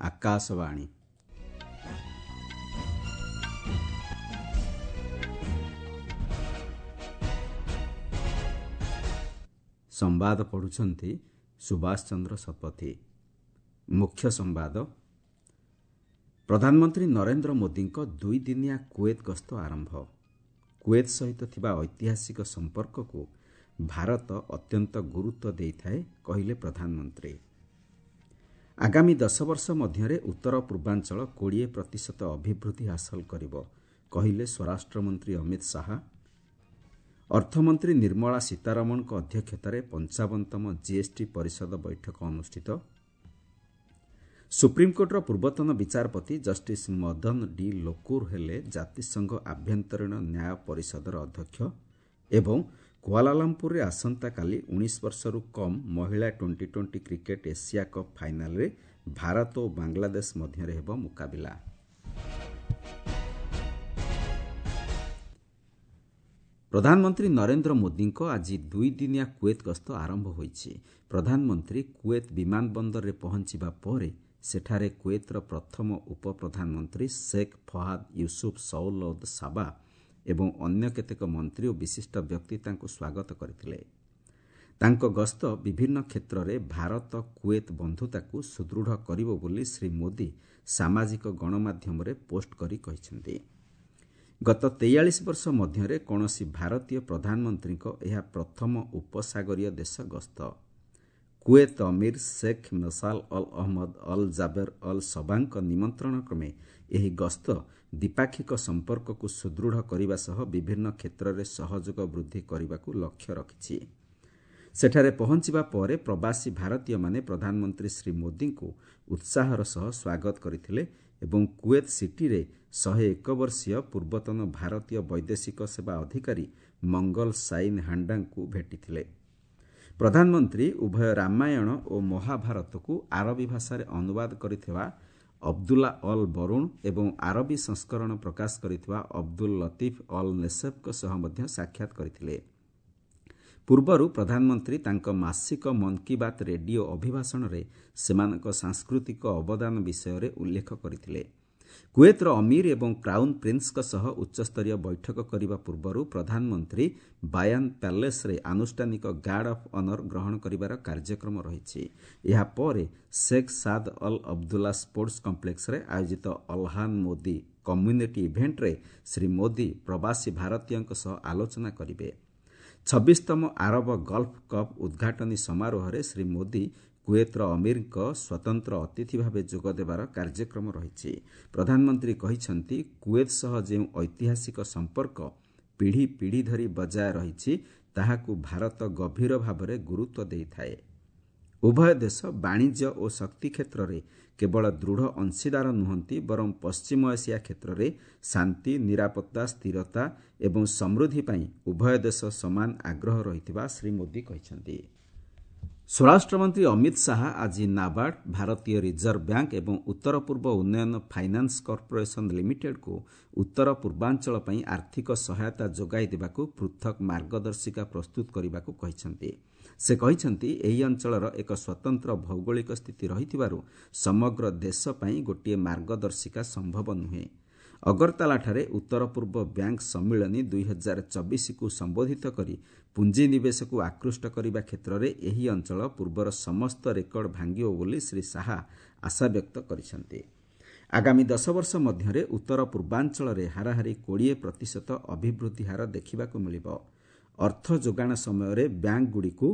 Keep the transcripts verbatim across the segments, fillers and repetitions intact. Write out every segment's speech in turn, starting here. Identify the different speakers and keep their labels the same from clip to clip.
Speaker 1: ଆକାଶବାଣୀ। ସମ୍ବାଦ ପଢ଼ୁଛନ୍ତି ସୁଭାଷ ଚନ୍ଦ୍ର ଶତପଥୀ। ମୁଖ୍ୟ ସମ୍ବାଦ। ପ୍ରଧାନମନ୍ତ୍ରୀ ନରେନ୍ଦ୍ର ମୋଦିଙ୍କ ଦୁଇଦିନିଆ କୁଏତ ଗସ୍ତ ଆରମ୍ଭ। କୁଏତ ସହିତ ଥିବା ଐତିହାସିକ ସମ୍ପର୍କକୁ ଭାରତ ଅତ୍ୟନ୍ତ ଗୁରୁତ୍ୱ ଦେଇଥାଏ, କହିଲେ ପ୍ରଧାନମନ୍ତ୍ରୀ। ଆଗାମୀ ଦଶ ବର୍ଷ ମଧ୍ୟରେ ଉତ୍ତର ପୂର୍ବାଞ୍ଚଳ କୋଡ଼ିଏ ପ୍ରତିଶତ ଅଭିବୃଦ୍ଧି ହାସଲ କରିବ, କହିଲେ ସ୍ୱରାଷ୍ଟ୍ରମନ୍ତ୍ରୀ ଅମିତ ଶାହା। ଅର୍ଥମନ୍ତ୍ରୀ ନିର୍ମଳା ସୀତାରମଣଙ୍କ ଅଧ୍ୟକ୍ଷତାରେ ପଞ୍ଚାବନତମ ଜିଏସ୍ଟି ପରିଷଦ ବୈଠକ ଅନୁଷ୍ଠିତ। ସୁପ୍ରିମକୋର୍ଟର ପୂର୍ବତନ ବିଚାରପତି ଜଷ୍ଟିସ୍ ମଦନ ଡି ଲୋକୁର ହେଲେ ଜାତିସଂଘ ଆଭ୍ୟନ୍ତରୀଣ ନ୍ୟାୟ ପରିଷଦର ଅଧ୍ୟକ୍ଷ। ଏବଂ କୁଆଲାଲମ୍ପୁରରେ ଆସନ୍ତାକାଲି ଉଣେଇଶ ବର୍ଷରୁ କମ୍ ମହିଳା twenty twenty cricket Asia cup ଫାଇନାଲରେ ଭାରତ ଓ ବାଂଲାଦେଶ ମଧ୍ୟରେ ହେବ ମୁକାବିଲା। ପ୍ରଧାନମନ୍ତ୍ରୀ ନରେନ୍ଦ୍ର ମୋଦିଙ୍କ ଆଜି ଦୁଇଦିନିଆ କୁଏତ ଗସ୍ତ ଆରମ୍ଭ ହୋଇଛି। ପ୍ରଧାନମନ୍ତ୍ରୀ କୁଏତ ବିମାନ ବନ୍ଦରରେ ପହଞ୍ଚିବା ପରେ ସେଠାରେ କୁଏତର ପ୍ରଥମ ଉପପ୍ରଧାନମନ୍ତ୍ରୀ ଶେଖ୍ ଫହାଦ ୟୁସୁଫ ସୌଲଦ ସାବା ଏବଂ ଅନ୍ୟ କେତେକ ମନ୍ତ୍ରୀ ଓ ବିଶିଷ୍ଟ ବ୍ୟକ୍ତି ତାଙ୍କୁ ସ୍ୱାଗତ କରିଥିଲେ। ତାଙ୍କ ଗସ୍ତ ବିଭିନ୍ନ କ୍ଷେତ୍ରରେ ଭାରତ କୁଏତ ବନ୍ଧୁତାକୁ ସୁଦୃଢ଼ କରିବ ବୋଲି ଶ୍ରୀ ମୋଦି ସାମାଜିକ ଗଣମାଧ୍ୟମରେ ପୋଷ୍ଟ କରି କହିଛନ୍ତି। ଗତ ତେୟାଳିଶ ବର୍ଷ ମଧ୍ୟରେ କୌଣସି ଭାରତୀୟ ପ୍ରଧାନମନ୍ତ୍ରୀଙ୍କ ଏହା ପ୍ରଥମ ଉପସାଗରୀୟ ଦେଶ ଗସ୍ତ। କୁଏତ ଅମୀର ଶେଖ୍ ମଶାଲ all Ahmad all Jaber all ସବାଙ୍କ ନିମନ୍ତ୍ରଣ କ୍ରମେ ଏହି ଗସ୍ତ ଦ୍ୱିପାକ୍ଷିକ ସମ୍ପର୍କକୁ ସୁଦୃଢ଼ କରିବା ସହ ବିଭିନ୍ନ କ୍ଷେତ୍ରରେ ସହଯୋଗ ବୃଦ୍ଧି କରିବାକୁ ଲକ୍ଷ୍ୟ ରଖିଛି। ସେଠାରେ ପହଞ୍ଚିବା ପରେ ପ୍ରବାସୀ ଭାରତୀୟମାନେ ପ୍ରଧାନମନ୍ତ୍ରୀ ଶ୍ରୀ ମୋଦିଙ୍କୁ ଉତ୍ସାହର ସହ ସ୍ୱାଗତ କରିଥିଲେ ଏବଂ କୁଏତ ସିଟିରେ ଶହେ ଏକ ବର୍ଷୀୟ ପୂର୍ବତନ ଭାରତୀୟ ବୈଦେଶିକ ସେବା ଅଧିକାରୀ ମଙ୍ଗଲ ସାଇନ୍ ହାଣ୍ଡାଙ୍କୁ ଭେଟିଥିଲେ। ପ୍ରଧାନମନ୍ତ୍ରୀ ଉଭୟ ରାମାୟଣ ଓ ମହାଭାରତକୁ ଆରବୀ ଭାଷାରେ ଅନୁବାଦ କରିଥିବା ଅବଦୁଲ୍ଲା ଅଲ୍ ବରୁଣ ଏବଂ ଆରବୀ ସଂସ୍କରଣ ପ୍ରକାଶ କରିଥିବା ଅବଦୁଲ ଲତିଫ ଅଲ୍ ନେସେଫଙ୍କ ସହ ମଧ୍ୟ ସାକ୍ଷାତ କରିଥିଲେ। ପୂର୍ବରୁ ପ୍ରଧାନମନ୍ତ୍ରୀ ତାଙ୍କ ମାସିକ ମନ୍ କି ବାତ୍ ରେଡିଓ ଅଭିଭାଷଣରେ ସେମାନଙ୍କ ସାଂସ୍କୃତିକ ଅବଦାନ ବିଷୟରେ ଉଲ୍ଲେଖ କରିଥିଲେ। କୁଏତର ଅମୀର ଏବଂ କ୍ରାଉନ୍ ପ୍ରିନ୍ସଙ୍କ ସହ ଉଚ୍ଚସ୍ତରୀୟ ବୈଠକ କରିବା ପୂର୍ବରୁ ପ୍ରଧାନମନ୍ତ୍ରୀ ବାୟାନ ପ୍ୟାଲେସ୍ରେ ଆନୁଷ୍ଠାନିକ ଗାର୍ଡ ଅଫ୍ ଅନର ଗ୍ରହଣ କରିବାର କାର୍ଯ୍ୟକ୍ରମ ରହିଛି। ଏହାପରେ Sheikh Saad Al Abdullah sports କମ୍ପ୍ଲେକ୍ସରେ ଆୟୋଜିତ ଅଲହାନ ମୋଦି କମ୍ୟୁନିଟି ଇଭେଣ୍ଟରେ ଶ୍ରୀ ମୋଦି ପ୍ରବାସୀ ଭାରତୀୟଙ୍କ ସହ ଆଲୋଚନା କରିବେ। ଛବିଶତମ ଆରବ ଗଲ୍ଫ କପ୍ ଉଦ୍ଘାଟନୀ ସମାରୋହରେ ଶ୍ରୀ ମୋଦି କୁଏତର ଅମୀରଙ୍କ ସ୍ୱତନ୍ତ୍ର ଅତିଥି ଭାବେ ଯୋଗ ଦେବାର କାର୍ଯ୍ୟକ୍ରମ ରହିଛି। ପ୍ରଧାନମନ୍ତ୍ରୀ କହିଛନ୍ତି, କୁଏତ ସହ ଯେଉଁ ଐତିହାସିକ ସମ୍ପର୍କ ପିଢ଼ି ପିଢ଼ି ଧରି ବଜାୟ ରହିଛି, ତାହାକୁ ଭାରତ ଗଭୀର ଭାବରେ ଗୁରୁତ୍ୱ ଦେଇଥାଏ। ଉଭୟ ଦେଶ ବାଣିଜ୍ୟ ଓ ଶକ୍ତି କ୍ଷେତ୍ରରେ କେବଳ ଦୃଢ଼ ଅଂଶୀଦାର ନୁହନ୍ତି, ବରଂ ପଶ୍ଚିମ ଏସିଆ କ୍ଷେତ୍ରରେ ଶାନ୍ତି, ନିରାପତ୍ତା, ସ୍ଥିରତା ଏବଂ ସମୃଦ୍ଧି ପାଇଁ ଉଭୟ ଦେଶ ସମାନ ଆଗ୍ରହ ରହିଥିବା ଶ୍ରୀ ମୋଦି କହିଛନ୍ତି। ସ୍ୱରାଷ୍ଟ୍ରମନ୍ତ୍ରୀ ଅମିତ ଶାହା ଆଜି ନାବାର୍ଡ, ଭାରତୀୟ ରିଜର୍ଭ ବ୍ୟାଙ୍କ ଏବଂ ଉତ୍ତର ପୂର୍ବ ଉନ୍ନୟନ ଫାଇନାନ୍ସ କର୍ପୋରେସନ ଲିମିଟେଡ୍କୁ ଉତ୍ତର ପୂର୍ବାଞ୍ଚଳ ପାଇଁ ଆର୍ଥିକ ସହାୟତା ଯୋଗାଇ ଦେବାକୁ ପୃଥକ୍ ମାର୍ଗଦର୍ଶିକା ପ୍ରସ୍ତୁତ କରିବାକୁ କହିଛନ୍ତି। ସେ କହିଛନ୍ତି, ଏହି ଅଞ୍ଚଳର ଏକ ସ୍ୱତନ୍ତ୍ର ଭୌଗୋଳିକ ସ୍ଥିତି ରହିଥିବାରୁ ସମଗ୍ର ଦେଶ ପାଇଁ ଗୋଟିଏ ମାର୍ଗଦର୍ଶିକା ସମ୍ଭବ ନୁହେଁ। ଅଗରତାଲାଠାରେ ଉତ୍ତର ପୂର୍ବ ବ୍ୟାଙ୍କ ସମ୍ମିଳନୀ ଦୁଇ ହଜାର ଚବିଶକୁ ସମ୍ବୋଧିତ କରି ପୁଞ୍ଜିନିବେଶକୁ ଆକୃଷ୍ଟ କରିବା କ୍ଷେତ୍ରରେ ଏହି ଅଞ୍ଚଳ ପୂର୍ବର ସମସ୍ତ ରେକର୍ଡ ଭାଙ୍ଗିବ ବୋଲି ଶ୍ରୀ ଶାହା ଆଶାବ୍ୟକ୍ତ କରିଛନ୍ତି। ଆଗାମୀ ଦଶ ବର୍ଷ ମଧ୍ୟରେ ଉତ୍ତର ପୂର୍ବାଞ୍ଚଳରେ ହାରାହାରି କୋଡ଼ିଏ ପ୍ରତିଶତ ଅଭିବୃଦ୍ଧି ହାର ଦେଖିବାକୁ ମିଳିବ। ଅର୍ଥ ଯୋଗାଣ ସମୟରେ ବ୍ୟାଙ୍କଗୁଡ଼ିକୁ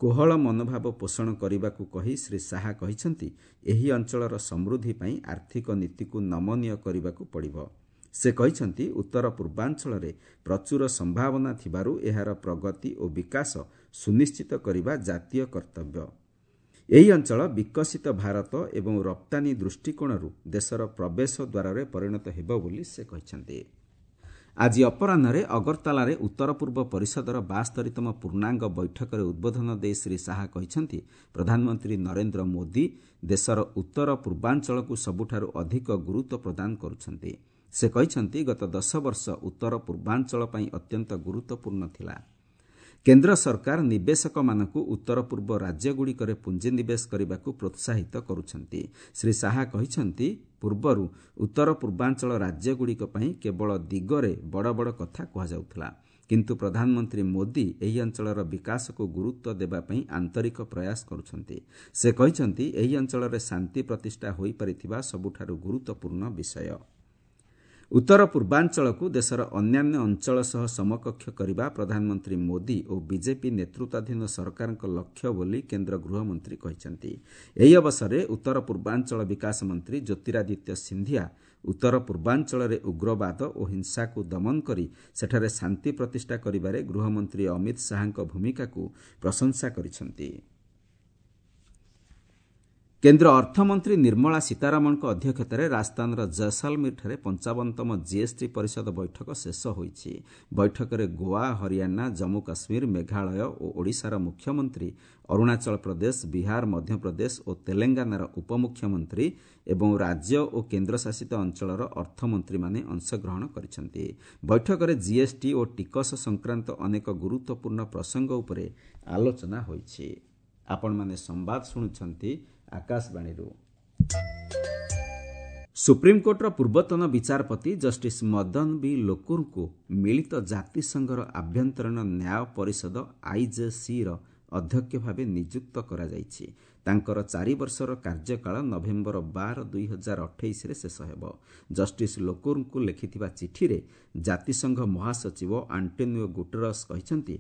Speaker 1: କୋହଳ ମନୋଭାବ ପୋଷଣ କରିବାକୁ କହି ଶ୍ରୀ ଶାହା କହିଛନ୍ତି, ଏହି ଅଞ୍ଚଳର ସମୃଦ୍ଧି ପାଇଁ ଆର୍ଥିକ ନୀତିକୁ ନମନୀୟ କରିବାକୁ ପଡ଼ିବ। ସେ କହିଛନ୍ତି, ଉତ୍ତର ପୂର୍ବାଞ୍ଚଳରେ ପ୍ରଚୁର ସମ୍ଭାବନା ଥିବାରୁ ଏହାର ପ୍ରଗତି ଓ ବିକାଶ ସୁନିଶ୍ଚିତ କରିବା ଜାତୀୟ କର୍ତ୍ତବ୍ୟ। ଏହି ଅଞ୍ଚଳ ବିକଶିତ ଭାରତ ଏବଂ ରପ୍ତାନୀ ଦୃଷ୍ଟିକୋଣରୁ ଦେଶର ପ୍ରବେଶ ଦ୍ୱାରରେ ପରିଣତ ହେବ ବୋଲି ସେ କହିଛନ୍ତି। ଆଜି ଅପରାହ୍ନରେ ଅଗରତାଲାରେ ଉତ୍ତର ପୂର୍ବ ପରିଷଦର ବାସ୍ତରିତମ ପୂର୍ଣ୍ଣାଙ୍ଗ ବୈଠକରେ ଉଦ୍ବୋଧନ ଦେଇ ଶ୍ରୀ ଶାହା କହିଛନ୍ତି, ପ୍ରଧାନମନ୍ତ୍ରୀ ନରେନ୍ଦ୍ର ମୋଦି ଦେଶର ଉତ୍ତର ପୂର୍ବାଞ୍ଚଳକୁ ସବୁଠାରୁ ଅଧିକ ଗୁରୁତ୍ୱ ପ୍ରଦାନ କରୁଛନ୍ତି। ସେ କହିଛନ୍ତି, ଗତ ଦଶ ବର୍ଷ ଉତ୍ତର ପୂର୍ବାଞ୍ଚଳ ପାଇଁ ଅତ୍ୟନ୍ତ ଗୁରୁତ୍ୱପୂର୍ଣ୍ଣ ଥିଲା। କେନ୍ଦ୍ର ସରକାର ନିବେଶକମାନଙ୍କୁ ଉତ୍ତର ପୂର୍ବ ରାଜ୍ୟଗୁଡ଼ିକରେ ପୁଞ୍ଜିନିବେଶ କରିବାକୁ ପ୍ରୋତ୍ସାହିତ କରୁଛନ୍ତି। ଶ୍ରୀ ଶାହା କହିଛନ୍ତି, ପୂର୍ବରୁ ଉତ୍ତର ପୂର୍ବାଞ୍ଚଳ ରାଜ୍ୟଗୁଡ଼ିକ ପାଇଁ କେବଳ ଦିଗରେ ବଡ଼ ବଡ଼ କଥା କୁହାଯାଉଥିଲା, କିନ୍ତୁ ପ୍ରଧାନମନ୍ତ୍ରୀ ମୋଦି ଏହି ଅଞ୍ଚଳର ବିକାଶକୁ ଗୁରୁତ୍ୱ ଦେବା ପାଇଁ ଆନ୍ତରିକ ପ୍ରୟାସ କରୁଛନ୍ତି। ସେ କହିଛନ୍ତି, ଏହି ଅଞ୍ଚଳରେ ଶାନ୍ତି ପ୍ରତିଷ୍ଠା ହୋଇପାରିଥିବା ସବୁଠାରୁ ଗୁରୁତ୍ୱପୂର୍ଣ୍ଣ ବିଷୟ। ଉତ୍ତର ପୂର୍ବାଞ୍ଚଳକୁ ଦେଶର ଅନ୍ୟାନ୍ୟ ଅଞ୍ଚଳ ସହ ସମକକ୍ଷ କରିବା ପ୍ରଧାନମନ୍ତ୍ରୀ ମୋଦି ଓ ବିଜେପି ନେତୃତ୍ୱାଧୀନ ସରକାରଙ୍କ ଲକ୍ଷ୍ୟ ବୋଲି କେନ୍ଦ୍ର ଗୃହମନ୍ତ୍ରୀ କହିଛନ୍ତି। ଏହି ଅବସରରେ ଉତ୍ତର ପୂର୍ବାଞ୍ଚଳ ବିକାଶ ମନ୍ତ୍ରୀ ଜ୍ୟୋତିରାଦିତ୍ୟ ସିନ୍ଧିଆ ଉତ୍ତର ପୂର୍ବାଞ୍ଚଳରେ ଉଗ୍ରବାଦ ଓ ହିଂସାକୁ ଦମନ କରି ସେଠାରେ ଶାନ୍ତି ପ୍ରତିଷ୍ଠା କରିବାରେ ଗୃହମନ୍ତ୍ରୀ ଅମିତ ଶାହାଙ୍କ ଭୂମିକାକୁ ପ୍ରଶଂସା କରିଛନ୍ତି। କେନ୍ଦ୍ର ଅର୍ଥମନ୍ତ୍ରୀ ନିର୍ମଳା ସୀତାରମଣଙ୍କ ଅଧ୍ୟକ୍ଷତାରେ ରାଜସ୍ଥାନର ଜୟସାଲମୀରଠାରେ ପଞ୍ଚାବନତମ ଜିଏସ୍ଟି ପରିଷଦ ବୈଠକ ଶେଷ ହୋଇଛି। ବୈଠକରେ ଗୋଆ, ହରିୟାଣା, ଜମ୍ମୁ କାଶ୍ମୀର, ମେଘାଳୟ ଓ ଓଡ଼ିଶାର ମୁଖ୍ୟମନ୍ତ୍ରୀ, ଅରୁଣାଚଳ ପ୍ରଦେଶ, ବିହାର, ମଧ୍ୟପ୍ରଦେଶ ଓ ତେଲେଙ୍ଗାନାର ଉପମୁଖ୍ୟମନ୍ତ୍ରୀ ଏବଂ ରାଜ୍ୟ ଓ କେନ୍ଦ୍ରଶାସିତ ଅଞ୍ଚଳର ଅର୍ଥମନ୍ତ୍ରୀମାନେ ଅଂଶଗ୍ରହଣ କରିଛନ୍ତି। ବୈଠକରେ ଜିଏସ୍ଟି ଓ ଟିକସ ସଂକ୍ରାନ୍ତ ଅନେକ ଗୁରୁତ୍ୱପୂର୍ଣ୍ଣ ପ୍ରସଙ୍ଗ ଉପରେ ଆଲୋଚନା ହୋଇଛି। ଆପଣମାନେ ସମ୍ବାଦ ଶୁଣୁଛନ୍ତି ଆକାଶବାଣୀରୁ। ସୁପ୍ରିମକୋର୍ଟର ପୂର୍ବତନ ବିଚାରପତି ଜଷ୍ଟିସ୍ ମଦନ ବି ଲୋକୁରଙ୍କୁ ମିଳିତ ଜାତିସଂଘର ଆଭ୍ୟନ୍ତରୀଣ ନ୍ୟାୟ ପରିଷଦ ଆଇଜେସିର ଅଧ୍ୟକ୍ଷ ଭାବେ ନିଯୁକ୍ତ କରାଯାଇଛି। ତାଙ୍କର ଚାରି ବର୍ଷର କାର୍ଯ୍ୟକାଳ ନଭେମ୍ବର ବାର ଦୁଇ ହଜାର ଅଠେଇଶରେ ଶେଷ ହେବ। ଜଷ୍ଟିସ୍ ଲୋକୁରଙ୍କୁ ଲେଖିଥିବା ଚିଠିରେ ଜାତିସଂଘ ମହାସଚିବ ଆଣ୍ଟୋନିଓ ଗୁଟେରସ୍ କହିଛନ୍ତି,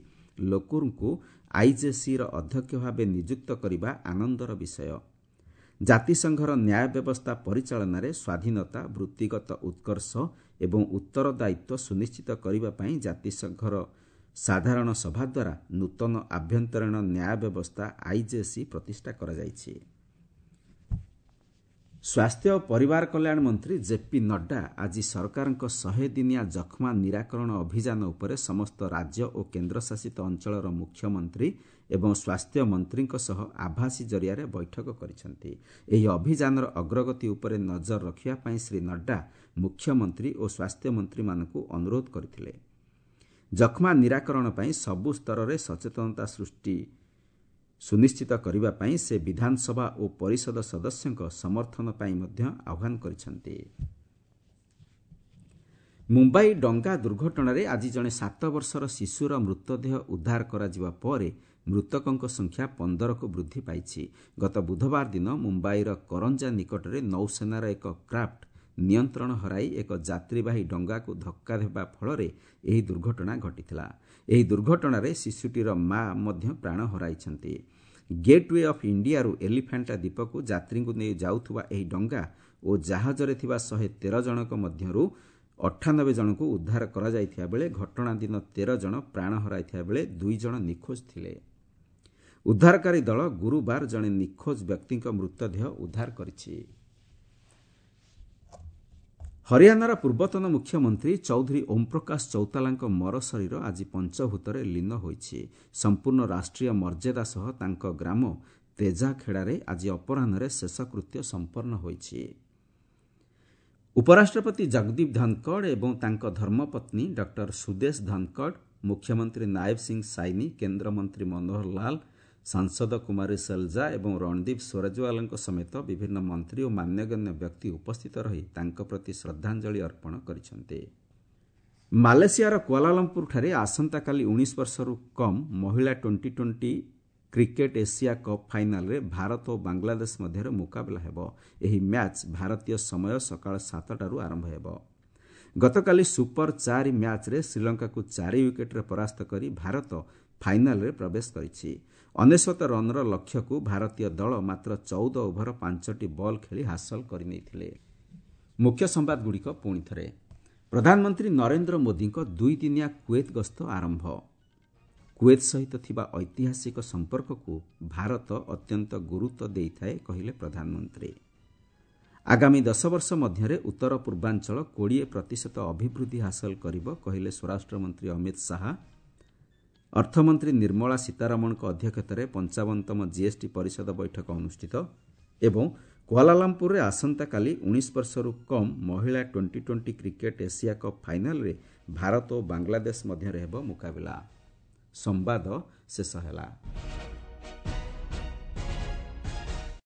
Speaker 1: ଲୋକୁରଙ୍କୁ ଆଇଜେସିର ଅଧ୍ୟକ୍ଷ ଭାବେ ନିଯୁକ୍ତ କରିବା ଆନନ୍ଦର ବିଷୟ। ଜାତିସଂଘର ନ୍ୟାୟ ବ୍ୟବସ୍ଥା ପରିଚାଳନାରେ ସ୍ୱାଧୀନତା, ବୃତ୍ତିଗତ ଉତ୍କର୍ଷ ଏବଂ ଉତ୍ତରଦାୟିତ୍ୱ ସୁନିଶ୍ଚିତ କରିବା ପାଇଁ ଜାତିସଂଘର ସାଧାରଣ ସଭା ଦ୍ୱାରା ନୂତନ ଆଭ୍ୟନ୍ତରୀଣ ନ୍ୟାୟ ବ୍ୟବସ୍ଥା ଆଇଜେସି ପ୍ରତିଷ୍ଠା କରାଯାଇଛି। ସ୍ୱାସ୍ଥ୍ୟ ଓ ପରିବାର କଲ୍ୟାଣ ମନ୍ତ୍ରୀ ଜେପି ନଡ୍ଡା ଆଜି ସରକାରଙ୍କ ଶହେ ଦିନିଆ ଯକ୍ଷ୍ମା ନିରାକରଣ ଅଭିଯାନ ଉପରେ ସମସ୍ତ ରାଜ୍ୟ ଓ କେନ୍ଦ୍ରଶାସିତ ଅଞ୍ଚଳର ମୁଖ୍ୟମନ୍ତ୍ରୀ ଏବଂ ସ୍ୱାସ୍ଥ୍ୟ ମନ୍ତ୍ରୀଙ୍କ ସହ ଆଭାସୀ ଜରିଆରେ ବୈଠକ କରିଛନ୍ତି। ଏହି ଅଭିଯାନର ଅଗ୍ରଗତି ଉପରେ ନଜର ରଖିବା ପାଇଁ ଶ୍ରୀ ନଡ୍ଡା ମୁଖ୍ୟମନ୍ତ୍ରୀ ଓ ସ୍ୱାସ୍ଥ୍ୟମନ୍ତ୍ରୀମାନଙ୍କୁ ଅନୁରୋଧ କରିଥିଲେ। ଯକ୍ଷ୍ମା ନିରାକରଣ ପାଇଁ ସବୁ ସ୍ତରରେ ସଚେତନତା ସୃଷ୍ଟି ସୁନିଶ୍ଚିତ କରିବା ପାଇଁ ସେ ବିଧାନସଭା ଓ ପରିଷଦ ସଦସ୍ୟଙ୍କ ସମର୍ଥନ ପାଇଁ ମଧ୍ୟ ଆହ୍ୱାନ କରିଛନ୍ତି। ମୁମ୍ବାଇ ଡଙ୍ଗା ଦୁର୍ଘଟଣାରେ ଆଜି ଜଣେ ସାତ ବର୍ଷର ଶିଶୁର ମୃତଦେହ ଉଦ୍ଧାର କରାଯିବା ପରେ ମୃତକଙ୍କ ସଂଖ୍ୟା ପନ୍ଦରକୁ ବୃଦ୍ଧି ପାଇଛି। ଗତ ବୁଧବାର ଦିନ ମୁମ୍ବାଇର କରଞ୍ଜା ନିକଟରେ ନୌସେନାର ଏକ କ୍ରାଫ୍ଟ ନିୟନ୍ତ୍ରଣ ହରାଇ ଏକ ଯାତ୍ରୀବାହୀ ଡଙ୍ଗାକୁ ଧକ୍କା ଦେବା ଫଳରେ ଏହି ଦୁର୍ଘଟଣା ଘଟିଥିଲା। ଏହି ଦୁର୍ଘଟଣାରେ ଶିଶୁଟିର ମା ମଧ୍ୟ ପ୍ରାଣ ହରାଇଛନ୍ତି। ଗେଟ୍ୱେ ଅଫ୍ ଇଣ୍ଡିଆରୁ ଏଲିଫାଣ୍ଟା ଦ୍ୱୀପକୁ ଯାତ୍ରୀଙ୍କୁ ନେଇ ଯାଉଥିବା ଏହି ଡଙ୍ଗା ଓ ଜାହାଜରେ ଥିବା ଶହେ ତେର ଜଣଙ୍କ ମଧ୍ୟରୁ ଅଠାନବେ ଜଣଙ୍କୁ ଉଦ୍ଧାର କରାଯାଇଥିବା ବେଳେ ଘଟଣା ଦିନ ତେର ଜଣ ପ୍ରାଣ ହରାଇଥିବା ବେଳେ ଦୁଇ ଜଣ ନିଖୋଜ ଥିଲେ। ଉଦ୍ଧାରକାରୀ ଦଳ ଗୁରୁବାର ଜଣେ ନିଖୋଜ ବ୍ୟକ୍ତିଙ୍କ ମୃତଦେହ ଉଦ୍ଧାର କରିଛି। ହରିୟାଣାର ପୂର୍ବତନ ମୁଖ୍ୟମନ୍ତ୍ରୀ ଚୌଧୁରୀ ଓମ୍ପ୍ରକାଶ ଚୌତାଲାଙ୍କ ମରଶରୀର ଆଜି ପଞ୍ଚଭୂତରେ ଲୀନ ହୋଇଛି। ସମ୍ପୂର୍ଣ୍ଣ ରାଷ୍ଟ୍ରୀୟ ମର୍ଯ୍ୟାଦା ସହ ତାଙ୍କ ଗ୍ରାମ ତେଜାଖେଡ଼ାରେ ଆଜି ଅପରାହ୍ନରେ ଶେଷକୃତ୍ୟ ସମ୍ପନ୍ନ ହୋଇଛି। ଉପରାଷ୍ଟ୍ରପତି ଜଗଦୀପ ଧନକଡ଼ ଏବଂ ତାଙ୍କ ଧର୍ମପତ୍ନୀ ଡକ୍ଟର ସୁଦେଶ ଧନକଡ଼, ମୁଖ୍ୟମନ୍ତ୍ରୀ ନାୟବ ସିଂ ସାଇନି, କେନ୍ଦ୍ରମନ୍ତ୍ରୀ ମନୋହର ଲାଲ, ସାଂସଦ କୁମାରୀ ଶୈଲଜା ଏବଂ ରଣଦୀପ ସ୍ୱରଜୱାଲଙ୍କ ସମେତ ବିଭିନ୍ନ ମନ୍ତ୍ରୀ ଓ ମାନ୍ୟଗଣ୍ୟ ବ୍ୟକ୍ତି ଉପସ୍ଥିତ ରହି ତାଙ୍କ ପ୍ରତି ଶ୍ରଦ୍ଧାଞ୍ଜଳି ଅର୍ପଣ କରିଛନ୍ତି। ମାଲେସିଆର କୁଆଲାଲମ୍ପୁରଠାରେ ଆସନ୍ତାକାଲି ଉଣେଇଶ ବର୍ଷରୁ କମ୍ ମହିଳା twenty twenty cricket Asia cup ଫାଇନାଲରେ ଭାରତ ଓ ବାଂଲାଦେଶ ମଧ୍ୟରେ ମୁକାବିଲା ହେବ। ଏହି ମ୍ୟାଚ୍ ଭାରତୀୟ ସମୟ ସକାଳ ସାତଟାରୁ ଆରମ୍ଭ ହେବ। ଗତକାଲି ସୁପର ଚାରି ମ୍ୟାଚ୍ରେ ଶ୍ରୀଲଙ୍କାକୁ ଚାରି ୱିକେଟ୍ରେ ପରାସ୍ତ କରି ଭାରତ ଫାଇନାଲରେ ପ୍ରବେଶ କରିଛି। ଅନେଶ୍ୱତ ରନ୍ର ଲକ୍ଷ୍ୟକୁ ଭାରତୀୟ ଦଳ ମାତ୍ର ଚଉଦ ଓଭର ପାଞ୍ଚଟି ବଲ୍ ଖେଳି ହାସଲ କରିନେଇଥିଲେ। ମୁଖ୍ୟ ସମ୍ବାଦଗୁଡ଼ିକ ପୁଣି ଥରେ। ପ୍ରଧାନମନ୍ତ୍ରୀ ନରେନ୍ଦ୍ର ମୋଦିଙ୍କ ଦୁଇଦିନିଆ କୁଏତ ଗସ୍ତ ଆରମ୍ଭ। କୁଏତ ସହିତ ଥିବା ଐତିହାସିକ ସମ୍ପର୍କକୁ ଭାରତ ଅତ୍ୟନ୍ତ ଗୁରୁତ୍ୱ ଦେଇଥାଏ, କହିଲେ ପ୍ରଧାନମନ୍ତ୍ରୀ। ଆଗାମୀ ଦଶ ବର୍ଷ ମଧ୍ୟରେ ଉତ୍ତର ପୂର୍ବାଞ୍ଚଳ କୋଡ଼ିଏ ପ୍ରତିଶତ ଅଭିବୃଦ୍ଧି ହାସଲ କରିବ, କହିଲେ ସ୍ୱରାଷ୍ଟ୍ରମନ୍ତ୍ରୀ ଅମିତ ଶାହା। ଅର୍ଥମନ୍ତ୍ରୀ ନିର୍ମଳା ସୀତାରମଣଙ୍କ ଅଧ୍ୟକ୍ଷତାରେ ପଞ୍ଚାବନତମ ଜିଏସ୍ଟି ପରିଷଦ ବୈଠକ ଅନୁଷ୍ଠିତ ଏବଂ କୁଆଲାଲମ୍ପୁରରେ ଆସନ୍ତାକାଲି ଉଣେଇଶ ବର୍ଷରୁ କମ୍ ମହିଳା twenty twenty cricket Asia cup ଫାଇନାଲରେ ଭାରତ ଓ ବାଂଲାଦେଶ ମଧ୍ୟରେ ହେବ ମୁକାବିଲା। ସମ୍ବାଦ ଶେଷ ହେଲା।